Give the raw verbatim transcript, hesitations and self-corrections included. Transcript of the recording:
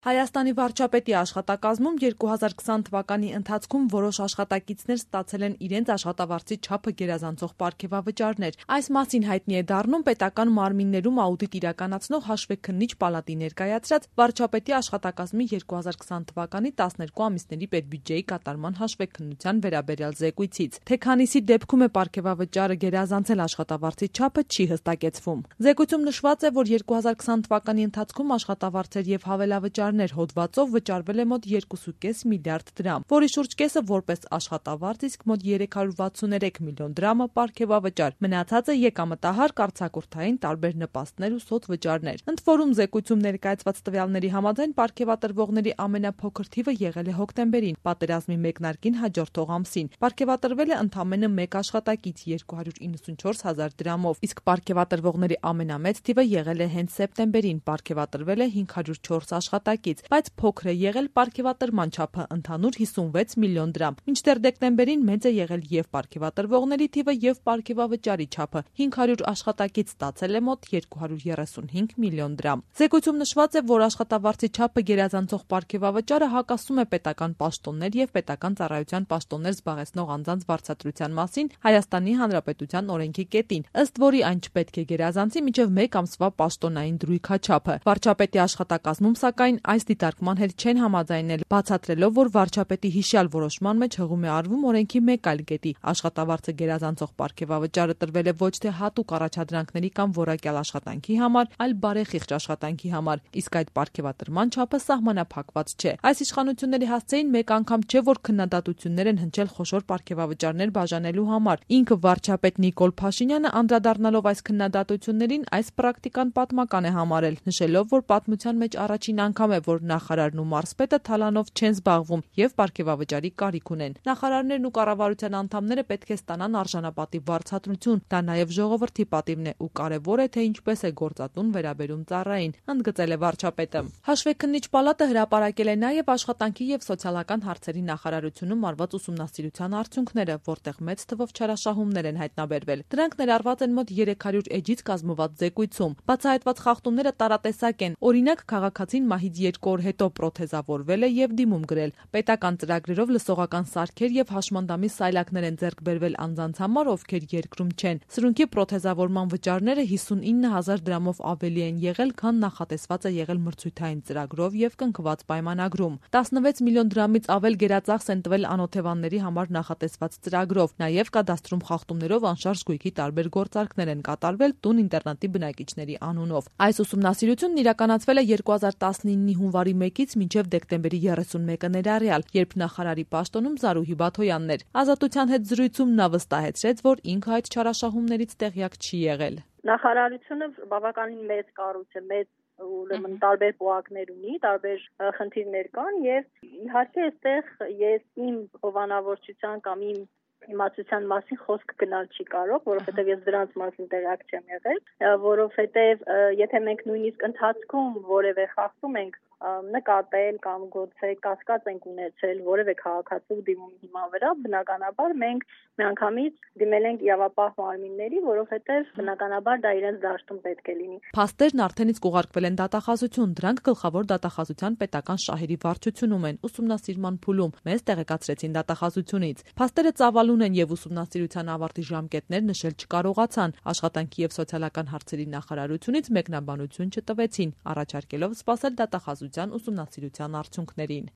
Հայաստանի վարչապետի աշխատակազմում երկու հազար քսան թվականի ընթացքում որոշ աշխատակիցներ ստացել են իրենց աշխատավարձի չափը գերազանցող պարգևավճարներ։ Այս մասին հայտնի է դառնում պետական մարմիններում աուդիտ իրականացնող հաշվեկնիչ պալատի ներկայացրած վարչապետի աշխատակազմի երկու հազար քսան թվականի տասներկու ամիսների պետբյուջեի կատարման հաշվեկնության վերաբերյալ զեկույցից։ Թե քանիսի դեպքում է պարգևավճարը գերազանցել աշխատավարձի չափը չի հստակեցվում։ Զեկույցում նշված է, որ երկու հազար քսան թվականի ընթացքում աշխատավարձեր եւ հավելավճար հոդվածով վճարվել է մոտ երկու կես միլիարդ դրամ, որի շուրջ կեսը որպես աշխատավարձ, իսկ մոտ երեք հարյուր վաթսուներեք միլիոն դրամը պարգևավճար, մնացածը եկամտահար, կարգակուրթային տարբեր նպաստներ ու սոցվճարներ։ Ընդ որում զեկույցում ներկայացված տվյալների համաձայն պարգևատրվողների ամենափոքր թիվը եղել է հոկտեմբերին, պատերազմի մեկնարկին հաջորդող ամսին։ Պարգևատրվել է ընդամենը մեկ աշխատակից երկու հարյուր իննսունչորս հազար դրամով, իսկ պարգևատրվողների ամենամեծ թիվը եղել է հենց սեպտեմբերին, պարգևատրվել է հինգ հարյուր չորս աշխատակից, բայց փոքր է եղել պարգևատրման չափը ընդհանուր հիսունվեց միլիոն դրամ։ Մինչդեռ դեկտեմբերին մեծ է եղել եւ պարգևատրվողների թիվը եւ պարգևավճարի չափը։ հինգ հարյուր աշխատակից ստացել է մոտ երկու հարյուր երեսունհինգ միլիոն դրամ։ Զեկույցում նշված է, որ աշխատավարձի չափը գերազանցող պարգևավճարը հակասում է պետական պաշտոններ եւ պետական ծառայության պաշտոններ զբաղեցնող անձանց վարձատրության մասին Հայաստանի Հանրապետության օրենքի կետին, ըստ որի այն չպետք է գերազանցի մինչեւ մեկ ամսվա պաշտոնային դրույքաչափը։ Վարչապետի աշխատակազմում սակայն այս դիտարկման հետ չեն համաձայնել, բացատրելով, որ վարչապետի հիշյալ որոշման մեջ հղում է արվում օրենքի մեկ այլ կետի։ Աշխատավարձը գերազանցող պարգևավճարը տրվել է ոչ թե հատուկ առաջադրանքների կամ որակյալ աշխատանքի համար, այլ բարեխիղճ աշխատանքի համար, իսկ այդ պարգևատրման չափը սահմանափակված չէ։ Այս իշխանությունների հասցեին մեկ անգամ չէ, որ քննադատություններ են հնչել խոշոր պարգևավճարներ բաժանելու համար։ Ինքը վարչապետ Նիկոլ Փաշինյանը անդրադառնալով այս քննադատություններին այս պրակտիկան պատմական է համարել, նշելով, որ պատմության մեջ առաջին անգամ է, որ նախարարն ու մարզպետը թալանով չեն զբաղվում եւ պարգևավճարի կարիք ունեն։ Նախարարներն ու կառավարության անդամները պետք է ստանան արժանապատիվ վարձատրություն, դա նաեւ ժողովրդի պատիվն է ու կարեւոր է, թե ինչպես է գործատուն վերաբերում ծառային, ընդգծել է վարչապետը։ Հաշվեկնիչ պալատը հրապարակել է նաեւ աշխատանքի եւ սոցիալական հարցերի նախարարությունում արված ուսումնասիրության արդյունքները, որտեղ մեծ թվով չարաշահումներ են հայտնաբերվել։ Դրանք ներառված են մոտ երեք հարյուր էջից կազմված զեկույցում։ Բացահայտված խախտումները տարատեսակ են։ Օրինակ, քաղաքացին մահից երկու օր հետո պրոթեզավորվել է եւ դիմում գրել։ Պետական ծրագրերով լսողական սարքեր եւ հաշմանդամի սայլակներ են ձեռք բերվել անձանց համար, ովքեր երկրում չեն։ Սրունքի պրոթեզավորման վճարները հիսունինը հազար դրամով ավելի են եղել, քան նախատեսված է եղել մրցույթային ծրագրով եւ կնքված պայմանագրում։ տասնվեց միլիոն դրամից ավել գերածախս են տվել անօթևանների համար նախատեսված ծրագրով։ Նաեւ կադաստրում խախտումներով անշարժ գույքի տարբեր գործարքներ են կատարվել տուն ինտերնատի բնակիչների անունով։ Այս ուսումնասիրությունն իրականացվել է երկու հազար տասնինի հունվարի մեկից մինչև դեկտեմբերի երեսունմեկը ներառյալ, երբ նախարարի պաշտոնում Զարուհի Բաթոյանն էր։ Ազատության հետ զրույցում նա վստահեցրեց, որ ինքը այդ չարաշահումներից տեղյակ չի եղել։ Նախարարությունը բավականին մեծ կառույց է, մեծ ուրեմն տարբեր պոակներ ունի, տարբեր խնդիրներ կան եւ իհարկե այստեղ ես իմ հովանավորչության կամ իմ իմացության մասին խոսք գնալ չի կարող, որովհետև ես դրանց մասին տեղյակ չեմ եղել, որովհետև եթե մենք նույնիսկ ընթացքում որևէ խախտում ենք նկատել կամ գուցե կասկած ենք ունեցել որևէ քաղաքացու դիմումի հիման վրա, բնականաբար մենք միանգամից դիմել ենք իրավապահ մարմինների, որովհետև բնականաբար դա իրենց դաշտում պետք է լինի։ Փաստերն արդեն իսկ ուղարկվել են դատախազություն, դրանք գլխավոր դատախազության պետական շահերի վարչությունում են, ուսումնասիրման փուլում, մեզ տեղեկացրեցին դատախազությունից։ Փաստերը ծավալուն են եւ ուսումնասիրության ավարտի ժամկետներ նշել չկարողացան։ Աշխատանքի եւ սոցիալական հարցերի նախարարությունից մեկնաբանություն չտվեցին, առաջարկելով սպասել դատախազության ուսումնասիրության արդյունքներին։